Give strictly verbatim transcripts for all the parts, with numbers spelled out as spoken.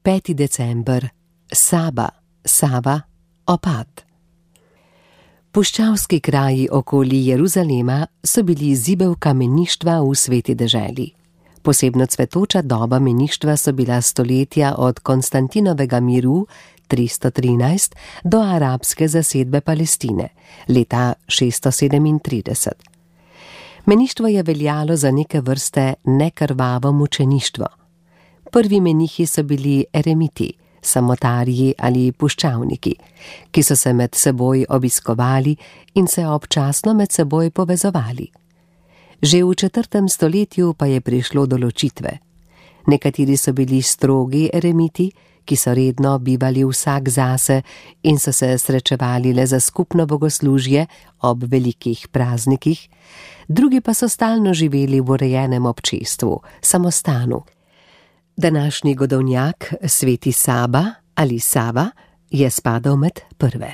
peti december, Saba, Sava, opad. Puščavski kraji okoli Jeruzalema so bili zibelka meništva v sveti deželi. Posebno cvetoča doba meništva so bila stoletja od Konstantinovega miru tristo trinajst do arabske zasedbe Palestine leta šeststo sedemintrideset. Meništvo je veljalo za neke vrste nekrvavo mučeništvo. Prvi menihi so bili eremiti, samotarji ali puščavniki, ki so se med seboj obiskovali in se občasno med seboj povezovali. Že v četrtem stoletju pa je prišlo do ločitve. Nekateri so bili strogi eremiti, ki so redno bivali vsak zase in so se srečevali le za skupno bogoslužje ob velikih praznikih, drugi pa so stalno živeli v urejenem občestvu, samostanu. Današnji godovnjak, sveti Saba ali Sava, je spadal med prve.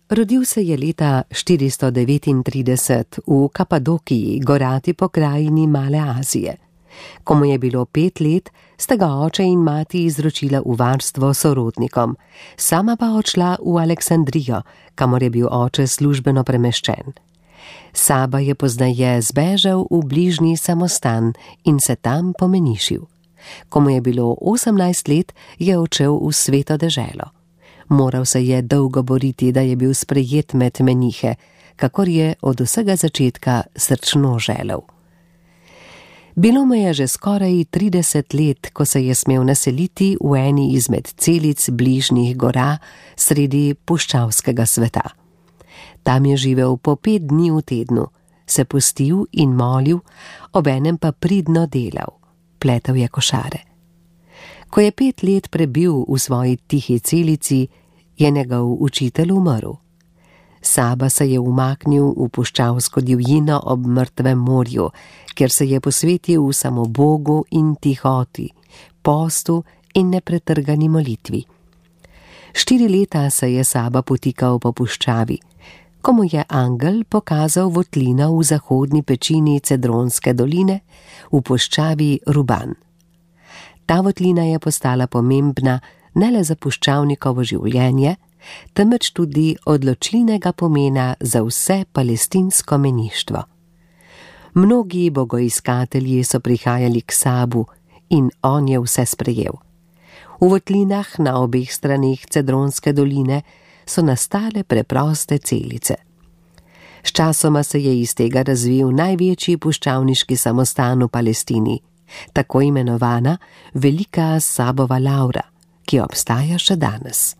Rodil se je leta štiristo devetintrideset v Kapadokiji, gorati pokrajini Male Azije. Ko mu je bilo pet let, sta ga oče in mati izročila v varstvo sorodnikom, sama pa odšla v Aleksandrijo, kamor je bil oče službeno premeščen. Saba je pozneje zbežal v bližnji samostan in se tam pomenišil. Ko mu je bilo osemnajst let, je odšel v sveto deželo. Moral se je dolgo boriti, da je bil sprejet med menihe, kakor je od vsega začetka srčno želel. Bilo mu je že skoraj trideset let, ko se je smel naseliti v eni izmed celic bližnjih gora sredi puščavskega sveta. Tam je živel po pet dni v tednu, se postil in molil, obenem pa pridno delal, pletel je košare. Ko je pet let prebil v svoji tihi celici, je njegov učitelj umrl. Saba se je umaknil v puščavsko divjino ob mrtvem morju, kjer se je posvetil samo Bogu in tihoti, postu in nepretrgani molitvi. Štiri leta se je Saba potikal po puščavi, ko mu je angel pokazal votlino v zahodni pečini Cedronske doline v puščavi Ruban. Ta votlina je postala pomembna ne le za puščavnikovo življenje, temveč tudi odločilnega pomena za vse palestinsko meništvo. Mnogi bogoiskatelji so prihajali k Sabu in on je vse sprejel. V votlinah na obeh straneh Cedronske doline so nastale preproste celice. Sčasoma se je iz tega razvil največji puščavniški samostan v Palestini, tako imenovana Velika Sabova Lavra, ki obstaja še danes.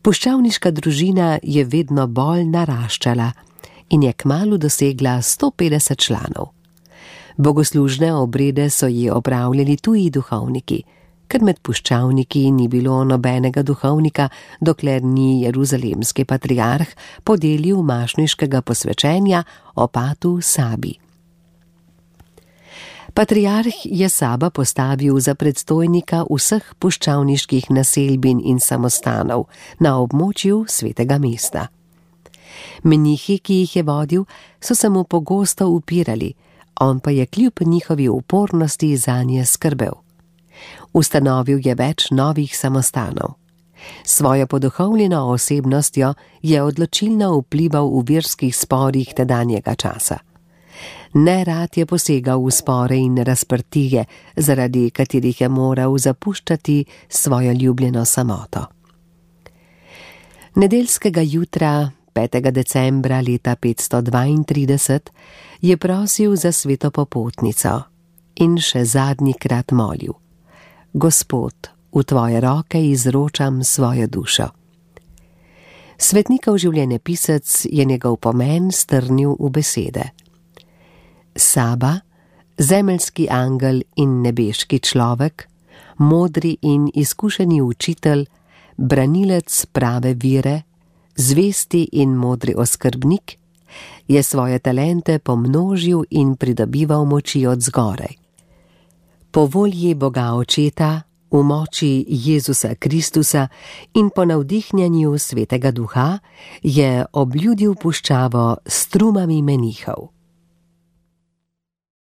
Puščavniška družina je vedno bolj naraščala in je kmalu dosegla sto petdeset članov. Bogoslužne obrede so ji opravljali tuji duhovniki, ker med puščavniki ni bilo nobenega duhovnika, dokler ni jeruzalemski patriarh podelil mašniškega posvečenja opatu Sabi. Patriarh je Saba postavil za predstojnika vseh puščavniških naselbin in samostanov na območju svetega mesta. Menihi, ki jih je vodil, so se mu pogosto upirali, on pa je kljub njihovi upornosti zanje skrbel. Ustanovil je več novih samostanov. Svojo poduhovljeno osebnostjo je odločilno vplival v verskih sporih tedanjega časa. Nerad je posegal v spore in razprtije, zaradi katerih je moral zapuščati svojo ljubljeno samoto. Nedeljskega jutra, petega decembra leta petsto dvaintrideset, je prosil za sveto popotnico in še zadnjikrat molil: Gospod, v tvoje roke izročam svojo dušo. Svetnikov življenjepisec je njegov pomen strnil v besede: Saba, zemeljski angel in nebeški človek, modri in izkušeni učitelj, branilec prave vire, zvesti in modri oskrbnik, je svoje talente pomnožil in pridobival moči od zgoraj. Po volji Boga Očeta, v moči Jezusa Kristusa in po navdihnjanju Svetega Duha je obljudil puščavo s strumami menihov.